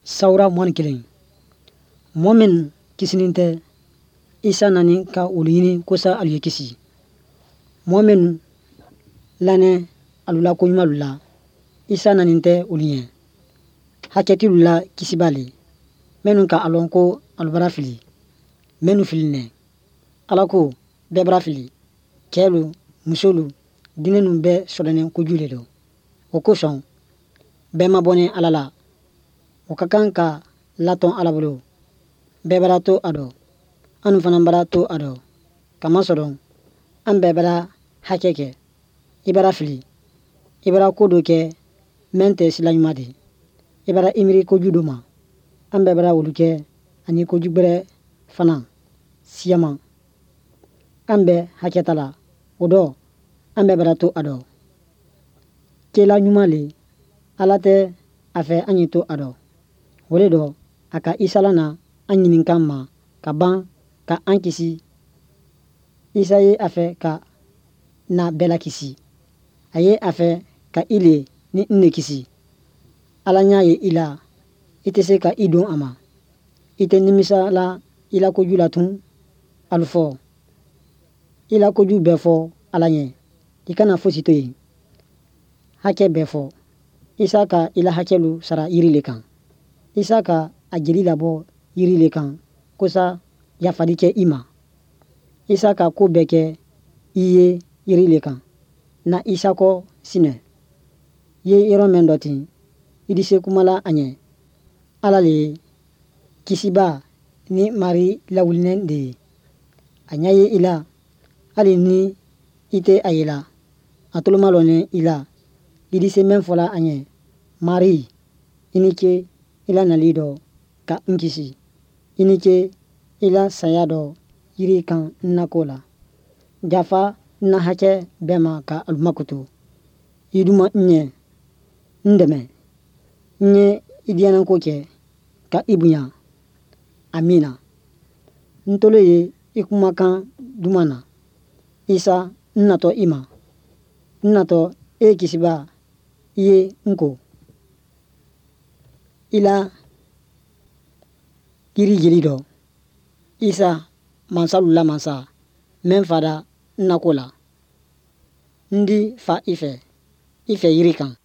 Sawura 21. Mɔɔ min kisinin tɛ, Isa nani ka olu ɲini kosa alu ye kisi. Mɔɔ minnu lanɛ alu la koɲumanlu la, Isa nanin tɛ olu ɲɛ. Hakɛ t'ilu la kisiba le. Minnu ka a lɔn ko alu bara fili, minnu filinɛ. Ala ko bɛɛ bara fili. Cɛlu, musolu, dinnɛnu bɛɛ sɔdɔnɛ koju le dɔ. O kosɔn bɛɛ mabɔnɛ Ala la. O ka kan ka latɔn Ala bolo. Bɛɛ bara to a dɔ. Anu fana bara to a dɔ. Kamasɔrɔ an bɛɛ bara hakɛ kɛ. I bara fili. I bara ko dɔ kɛ mɛn tɛ sila ɲuman di. I bara i miiri koju dɔ ma. An bɛɛ bara olu kɛ ani koju gbɛrɛ fana siyaman. An bɛɛ hakɛ ta la. O dɔ an bɛɛ bara to a dɔ. Kela ɲuman le Ala tɛ a fɛ an ye to a dɔ. O le dɔ a ka Isa lana an ɲininkan ma ka ban ka an kisi. Isa ye a fɛ ka na bɛɛ lakisi. A ye a fɛ ka i le ni n le kisi. Ala ɲa ye i la, i tɛ se ka i don a ma. I tɛ nimisa la i la koju la tun. Alu fɔ. I la koju bɛɛ fɔ Ala ɲɛ. I kana fosi to yen. Hakɛ bɛɛ fɔ. Isa ka i la hakɛlu sara yiri le kan. Isa ka a jeli labɔ yiri le kan kosa yafali kɛ i ma. Isa ka ko bɛɛ kɛ i ye yiri le kan. Na Isa kɔ sinɛ. Ye yɔrɔ mɛn dɔ ten, i di se kuma la a ɲɛ. Ala le ye kisiba ni mari lawulinɛ de ye. A ɲɛ ye i la, hali ni i tɛ a ye la. A tolo malɔnɛ i la. I di se mɛn fɔla a ɲɛ. Mari, i ni ce i la nali dɔ ka n kisi. I ni ce i la saya dɔ yiri kan n nako la. Jafa n na hakɛ bɛɛ ma ka alu makoto. I duma n ɲɛ, n dɛmɛ. N ye i diyanako kɛ ka i bonya. Amina. N tolo ye i kumakan duman na. Isa, n natɔ i ma. N natɔ e kisiba, i ye n ko. I la yiri jeli dɔ. Isa, mansalu la mansa, mɛn fada n nako la. N di fa i fɛ, i fɛ yiri kan.